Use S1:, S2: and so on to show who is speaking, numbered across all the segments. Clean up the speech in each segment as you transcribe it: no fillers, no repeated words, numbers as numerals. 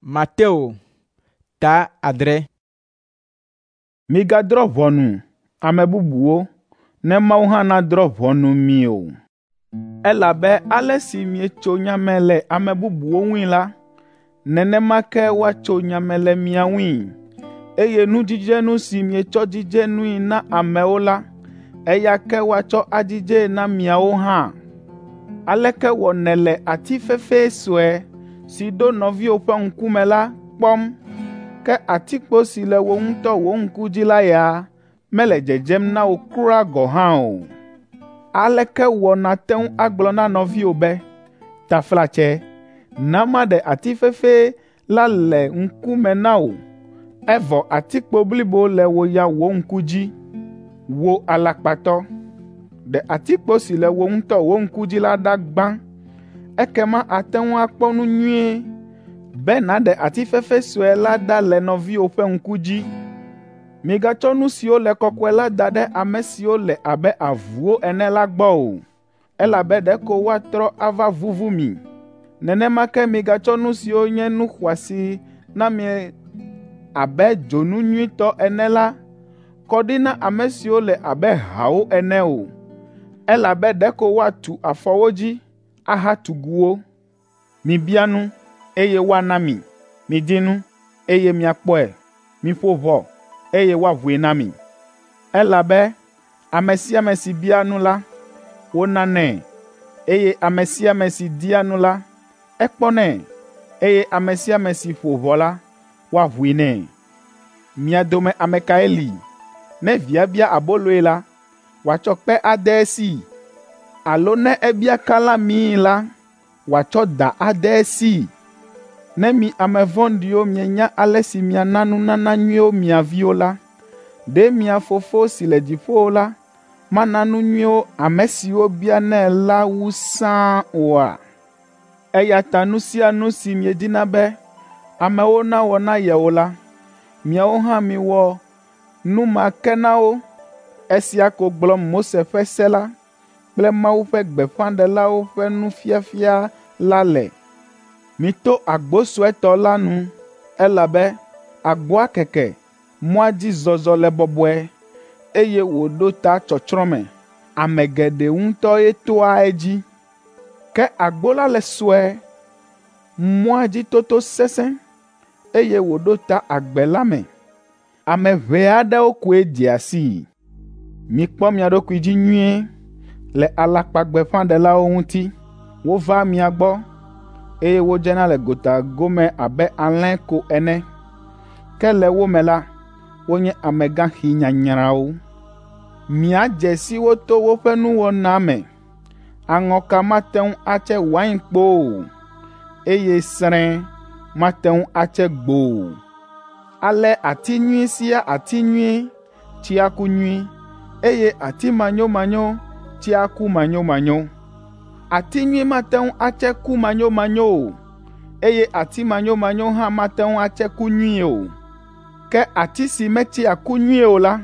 S1: Mateo ta 7.
S2: Migadrɔ̃ ʋɔnu ame bubuwo, ne Mawu hã nadrɔ̃ ʋɔnu mi o. Elabe ale si mietso nya me le ame bubuwo ŋui la, nenema ke woatso nya me le mia ŋui, eye nudzidzenu si mietsɔ dzidze nui na amewo la, eya ke woatsɔ adzidzee na miawo hã. Aleke wɔ nèle ati fefe sue si ɖo nɔviwò ƒe ŋkume la kpɔm, ke atikpo si le wò ŋutɔ wò ŋku dzi la ya mele dzedzem na wò kura gɔ̃ hã o? Aleke wɔ nàte ŋu agblɔ na nɔviwò be, ‘Taflatse, na maɖe ati fefe la le ŋkume na wò,’ evɔ atikpo blibo le wò ya wò ŋku dzi? Wò alakpatɔ! Ɖe atikpo si le wò ŋutɔ wò ŋku dzi la ɖa gbã, ekema àte ŋu akpɔ nu nyuie be nàɖe ati fefe sue la ɖa le nɔviwò ƒe ŋku dzi. Migatsɔ nu siwo le kɔkɔe la da ɖe ame siwo le abe avuwo ene la gbɔ o, elabe ɖeko woatrɔ ava vuvu mi. Nenema ke migatsɔ nu siwo nye nu xɔasi na mi abe dzonu nyuitɔ ene la kɔ ɖi na ame siwo le abe hawo ene o, elabe ɖeko woatu afɔ wo dzi ahatugu wo. Mibia nu, eye woana mi. Midi nu, eye miakpɔe. Miƒo ʋɔ, eye woaʋui na mi. Elabe ame sia ame si bia nu la, wonanɛ, eye ame sia ame si dia nu la, ekpɔnɛ, eye ame sia ame si ƒo ʋɔ la, woaʋui nɛ. Mia dome ame kae li, ne via bia aboloe la, wòatsɔ kpe ade esii? Alo ne ebia kalãmii la, wòatsɔ da ade esii? Ne mi ame vɔ̃ɖiwo mienya ale si miana nunana nyuiwo mia viwo la, ɖe mia Fofo si le dziƒo la mana nu nyuiwo ame siwo bianɛ la wu sãa oa? Eya ta nu sia nu si miedina be amewo nawɔ na yewo la, miawo hã miwɔ nu ma ke na wo. Esia ko gblɔm Mose ƒe se la kple Mawu ƒe gbeƒãɖelawo ƒe nufiafia la le. Mito agbo suetɔ la nu, elabe agboa keke, mɔa dzi zɔzɔ le bɔbɔe, eye wòɖo ta tsɔtsrɔ̃ me. Ame geɖe ŋutɔe toa edzi. Ke agbo la le sue, mɔa dzi toto sesẽ, eye wòɖo ta agbe la me. Ame ʋɛ aɖewo koe dzea sii. Mikpɔ mia ɖokui dzi nyuie le alakpagbeƒãɖelawo ŋuti. Wovaa mia gbɔ, eye wodzena le gota gome abe alẽ ko ene, ke le wo me la, wonye amegãxi nyanyrãwo. Miadze si wo to woƒe nuwɔna me. Aŋɔka mate ŋu atse wainkpo o, eye srẽ mate ŋu atse gbo o. Ale ati nyui sia ati nyui tsea ku nyui, eye ati manyomanyo tsea ku manyomanyo. Ati nyui mate ŋu atse ku manyomanyo o, eye ati manyomanyo hã mate ŋu atse ku nyui o. Ke ati si metsea ku nyui o la,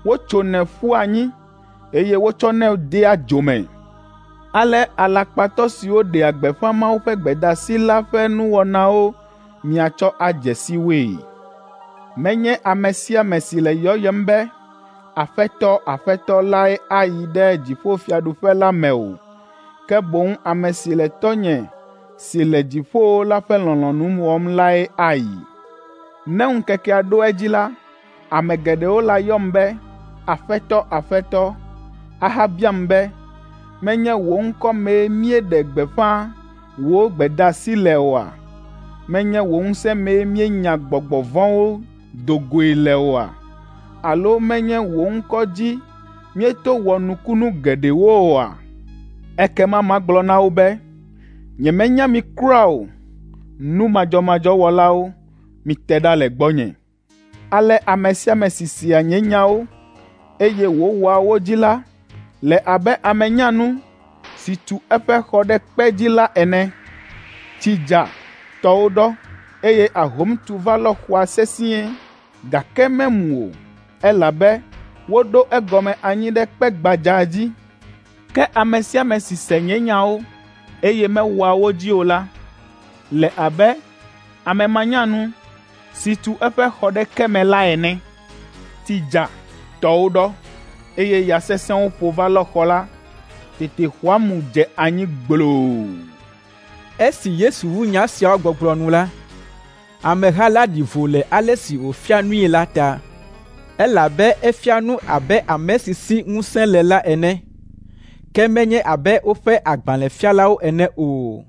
S2: wotsonɛ ƒua anyi, eye wotsɔnɛ dea dzo me. Ale alakpatɔ siwo ɖea gbeƒã Mawu ƒe gbedeasi la ƒe nuwɔnawo miatsɔ adze si woe. Menye ame sia ame si le yɔyem be, ‘Aƒetɔ, Aƒetɔ’ lae ayi ɖe dziƒofiaɖuƒe la me o, ke boŋ ame si le Tɔ́nye si le dziƒowo la ƒe lɔlɔ̃nu wɔm lae ayi. Ne ŋkekea ɖo edzi la, ame geɖewo layɔm be, ‘Aƒetɔ, Aƒetɔ,’ ahabiam be, ‘Menye wò ŋkɔ mee míeɖe gbeƒã wò gbedeasi le oa? Menye wò ŋusẽ mee míenya gbɔgbɔ vɔ̃wo do goe le oa? Alo menye wò ŋkɔ dzi míeto wɔ nukunu geɖewo oa?’ Ekema magblɔ na wo be, ‘Nyemenya mi kura o, nu madzɔmadzɔ wɔlawo, mite ɖa le gbɔnye.’ Ale ame sia ame si sea nye nyawo, eye wòwɔa wo dzi la le abe ame nyanu si tu eƒe xɔ ɖe kpe dzi la ene. Tsi dza, tɔwo ɖɔ, eye ahom tu va lɔ xɔa sesĩe, gake memu o, elabe woɖo egɔme anyi ɖe kpe gbadza dzi. Ke ame sia ame si se nye nyawo, eye mewɔa wo dzi o la, le abe ame manyanu si tu eƒe xɔ ɖe ke me la ene. Tsi dza, tɔwo ɖɔ, eye ya sesẽwo ƒo va lɔ xɔ la. Tete xɔa mu dze anyi gbloo.”
S1: Esi Yesu wu nya siawo gbɔgblɔ nu la, ameha la ɖi vo le ale si wòfia nui la ta, elabe efia nu abe ame si si ŋusẽ le la ene, ke menye abe woƒe agbalẽfialawo ene o.